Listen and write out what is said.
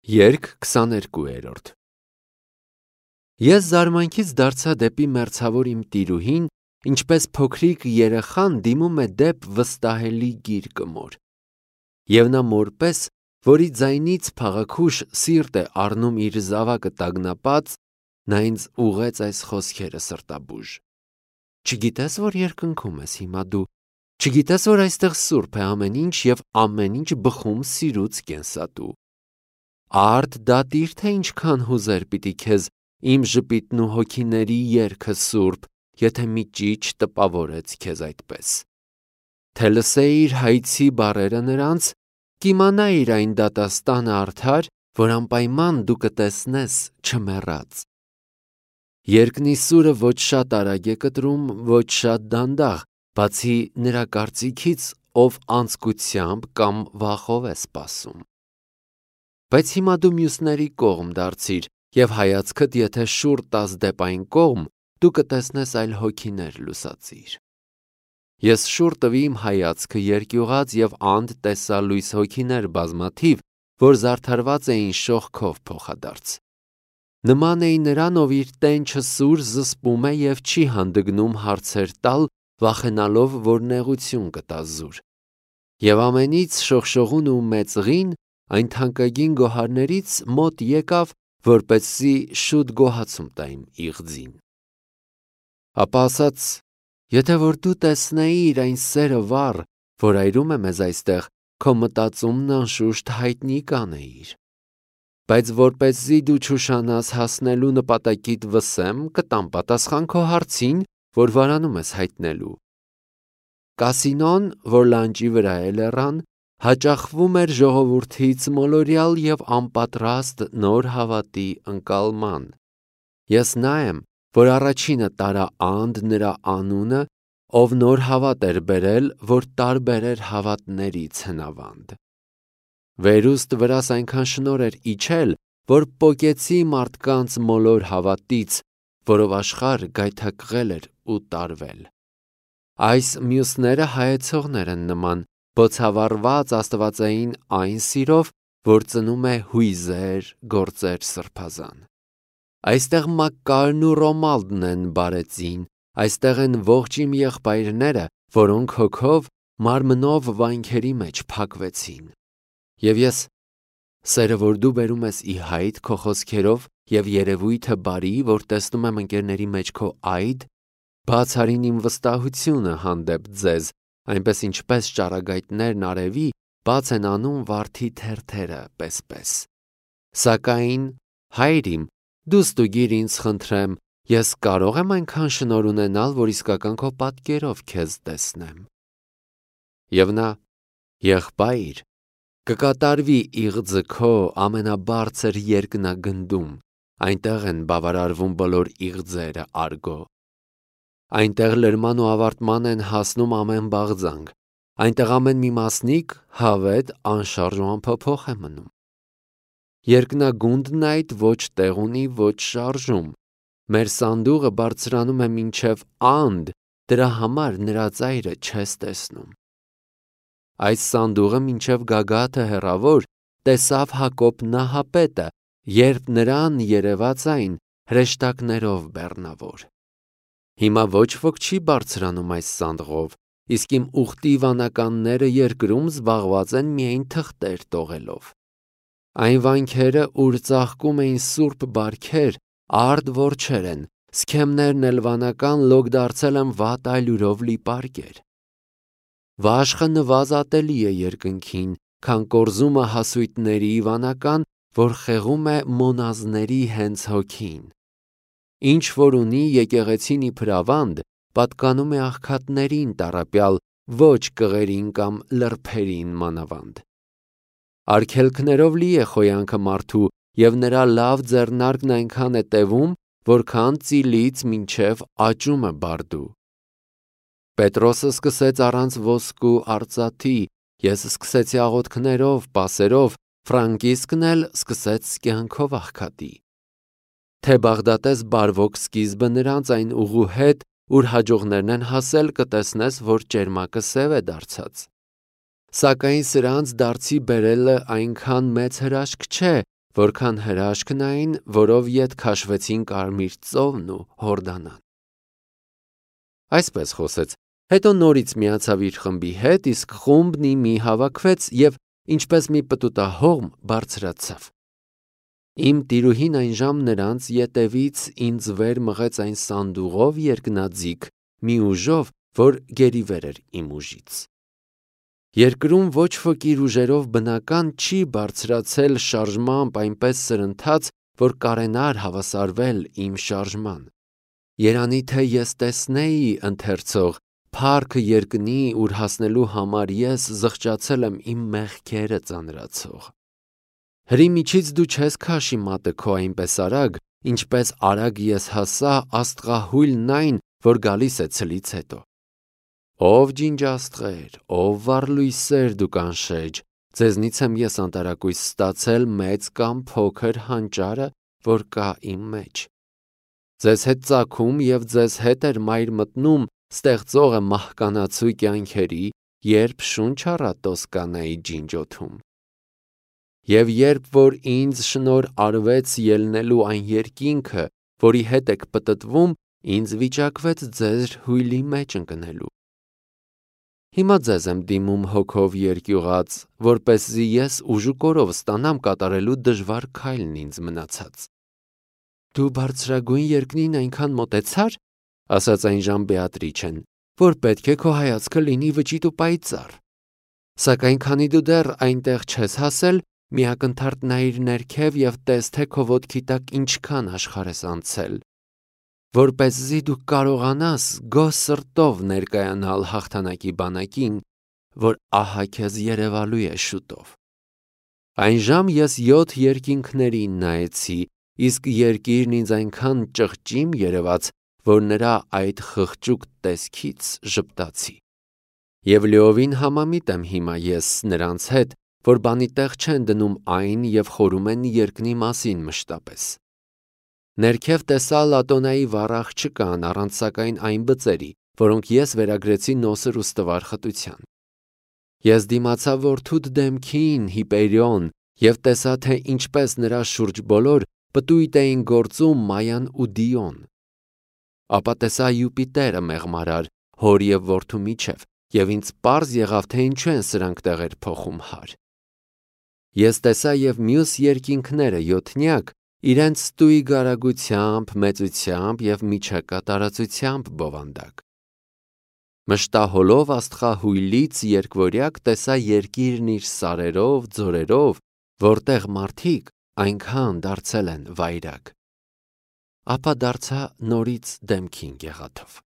Երգ 22-րդ Ես զարմանքից դարձա դեպի մերձավոր իմ տիրուհին, ինչպես փոքրիկ երեխան դիմում է դեպ վստահելի գիրկը մոր։ Եվ նա մորպես, որի ձայնից փաղաքուշ սիրտ է առնում իր զավակը տագնապած, նա ինձ ուղեց այս խոսքերը սրտաբուժ. Չգիտես, որ երկնքում ես հիմա դու, չգիտես, որ այստեղ սուրբ է ամեն ինչ և ամեն ինչ բխում սիրուց կենսատու։ Արդ դատիր, թե ինչքան հուզեր պիտի քեզ իմ ժպիտն ու հոգիների երգը սուրբ, եթե մի ճիչ տպավորեց քեզ այդպես։ Թե լսեիր հայցի բառերը նրանց, կիմանայիր այն դատաստանը արդար, որ անպայման դու կտեսնես չմեռած։ Երկնի սուրը ոչ շատ արագ է կտրում, ոչ շատ դանդաղ, բացի նրա կարծիքից, ով անձկությամբ կամ վախով է սպասում։ Բայց հիմա դու մյուսների կողմ դարձիր և հայացքդ եթե շուռ տաս դեպ այն կողմ, դու կտեսնես այլ հոգիներ լուսածիր։ Ես շուռ տվի իմ հայացքը երկյուղած և անդ տեսա լույս հոգիներ բազմաթիվ, որ զարդարված էին շողքով փոխադարձ։ Նման էի նրան, ով իր տենչը սուր զսպում է և չի հանդգնում հարցեր տալ, վախենալով, որ նեղություն կտա զուր։ Եվ ամենից շողշողուն ու մեծղին այն թանկագին գոհարներից մոտ եկավ, որպեսզի շուտ գոհացում տա իմ իղձին։ Ապա ասաց. եթե որ դու տեսնեիր այն սերը վառ, որ այրում է մեզ այստեղ, քո մտածումն անշուշտ հայտնի կանեիր։ Բայց որպեսզի դու չուշանաս հասնելու նպատակիդ վսեմ, կտամ պատասխան քո հարցին, որ վարանում ես հայտնելու։ Կասինոն, որ լանջի վրա է լեռան, հաճախվում էր ժողովրդից մոլորյալ և անպատրաստ նոր հավատի ընկալման։ Ես նա եմ, որ առաջինը տարա անդ նրա անունը, ով նոր հավատ էր բերել, որ տարբերեր հավատներից հնավանդ։ Վերուստ վրաս այնքան շնոր էր իջել, որ պոկեցի մարդկանց մոլոր հավատից, որով աշխարհ գայթակղել էր ու տարվել։ Այս մյուսները հայեցողներ են նման, բոցավառված աստվածային այն սիրով, որ ծնում է հույզեր, գործեր սրբազան։ Այստեղ Մակկարն ու Ռոմալդն են բարեծին, այստեղ են ողջ իմ եղբայրները, որոնք հոգով, մարմնով վանքերի մեջ փակվեցին։ Եվ ես, սերը, որ դու բերում ես ի հայտ քո խոսքերով և երևույթը բարի, որ տեսնում եմ ընկերների մեջ քո այդ, բացարին իմ վստահությունը հանդեպ ձեզ, այնպես ինչպես ճառագայթներն արևի, բաց են անում վարդի թերթերը պես։ Սակայն, հայր իմ, դու ստուգիր ինձ խնդրեմ, ես կարո՞ղ եմ այնքան շնորհ ունենալ, որ իսկական քո պատկերով քեզ տեսնեմ։ Եվ նա. եղբայր, կկատարվի իղձը քո ամենաբարձր երկնագնդում, այնտեղ են բավարարվում բոլոր իղձերը արգո։ Այնտեղ լրման ու ավարտման են հասնում ամեն բաղձանք, այնտեղ ամեն մի մասնիկ հավետ, անշարժ ու անփոփոխ է մնում։ Երկնագունդն այդ ոչ տեղ ունի, ոչ շարժում։ Մեր սանդուղը բարձրանում է մինչև անդ, դրա համար նրա ծայրը չես տեսնում։ Այս սանդուղը մինչև գագաթը հեռավոր տեսավ Հակոբ նահապետը, երբ նրան երևաց այն հրեշտակներով բեռնավոր։ Հիմա ոչ ոք չի բարձրանում այս սանդղով, իսկ իմ ուխտի վանականները երկրում զբաղված են միայն թղթեր տողելով։ Այն վանքերը, ուր ծաղկում էին սուրբ բարքեր, արդ որջեր են, սքեմներն էլ վանական լոկ դարձել են վատ այլուրով լի պարկեր։ Վաշխը նվազատելի է երկնքին, քան կորզումը հասույթների վանական, որ խեղում է մոնազների հենց հոգին։ Ինչ որ ունի եկեղեցին իբր ավանդ, պատկանում է աղքատներին տառապյալ, ոչ կղերին կամ լրբերին մանավանդ։ Արգելքներով լի է խոյանքը մարդու, և նրա լավ ձեռնարկն այնքան է տևում, որքան ծիլից մինչև աճում է բարդու։ Պետրոսը սկսեց առանց ոսկու արծաթի, ես սկսեցի աղոթքներով, պասերով, Ֆրանկիսկն էլ սկսեց կյանքով աղքատի։ Թե Բաղդատես բարվոք սկիզբը նրանց այն ուղու հետ, ուր հաջողներն են հասել, կտեսնես, որ ճերմակը սև է դարձած։ Սակայն սրանց դարձի բերելը այնքան մեծ հրաշք չէ, որքան հրաշքն այն, որով ետ քաշվեցին Կարմիր ծովն ու Հորդանան։ Այսպես խոսեց, հետո նորից միացավ իր խմբի հետ, իսկ խումբն մի հավաքվեց եւ ինչպես մի պտուտահողմ բարձրացավ։ Իմ տիրուհին այն ժամ նրանց ետևից ինձ վեր մղեց այն սանդուղով երկնաձիգ, մի ուժով, որ գերիվեր էր իմ ուժից։ Երկրում ոչ ոք իր ուժերով բնական չի բարձրացել շարժմամբ այնպես սրընթաց, որ կարենար հավասարվել իմ շարժման։ Երանի թե ես տեսնեի ընթերցող, փառքը երկնի, ուր հասնելու համար ես զղջացել եմ իմ մեղքերը ծանրացող։ Հրի միջից դու չես քաշի մատը քո այնպես արագ, ինչպես արագ ես հասա աստղահույլն այն, որ գալիս է ցլից հետո։ Ով ջինջաստղեր, ով վառլույսեր դուք անշեջ, ձեզնից եմ ես անտարակույս ստացել մեծ կամ փոքր հանճարը, որ կա իմ մեջ։ Ձեզ հետ ծագում և ձեզ հետ էր մայր մտնում ստեղծողը մահկանացու կյանքերի, երբ շունչ առա Տոսկանայի ջինջոթում։ Եվ երբ որ ինձ շնոր արվեց ելնելու այն երկինքը, որի հետ եք պտտվում, ինձ վիճակվեց ձեր հույլի մեջ ընկնելու։ Հիմա ձեզ եմ դիմում հոգով երկյուղած, որպեսզի ես ուժուկորով ստանամ կատարելու դժվար քայլն ինձ մնացած։ Դու բարձրագույն երկնին այնքան մոտեցար, ասաց այնժամ Բեատրիչեն, որ պետք է քո հայացքը լինի վճիտ ու պայծառ։ Սակայն քանի դու դեռ այնտեղ չես հասել, մի ակնթարթ նայիր ներքև և տես, թե քո ոտքի տակ ինչքան աշխարհ ես անցել, որպեսզի դու կարողանաս գոհ սրտով ներկայանալ հաղթանակի բանակին, որ ահա քեզ երևալու է շուտով։ Այնժամ ես 7 երկինքներին նայեցի, իսկ երկիրն ինձ այնքան ճղճիմ երևաց, որ նրա այդ խղճուկ տեսքից ժպտացի։ Եվ լիովին համամիտ եմ հիմա ես նրանց հետ, որ բանի տեղ չեն դնում այն և խորում են երկնի մասին մշտապես։ Ներքև տեսա Լատոնայի վառ աղջկան առանց սակայն այն բծերի, որոնք ես վերագրեցի նոսր ու ստվար խտության։ Ես դիմացա որդուդ դեմքին Հիպերիոն և տեսա, թե ինչպես նրա շուրջ բոլոր պտույտ էին գործում Մայան ու Դիոն։ Ապա տեսա Յուպիտերը մեղմարար, հոր և որդու միջև, և ինձ պարզ եղավ, թե ինչու են սրանք տեղեր փոխում հար։ Ես տեսա և մյուս երկինքները յոթնյակ, իրենց ստույգ արագությամբ, մեծությամբ և միջակատարածությամբ բովանդակ։ Մշտահոլով աստղահույլից երկվորյակ տեսա երկիրն իր սարերով, ձորերով, որտեղ մարդիկ այնքան դարձել են վայրագ։ Ապա դարձա նորից դեմքին գեղաթով։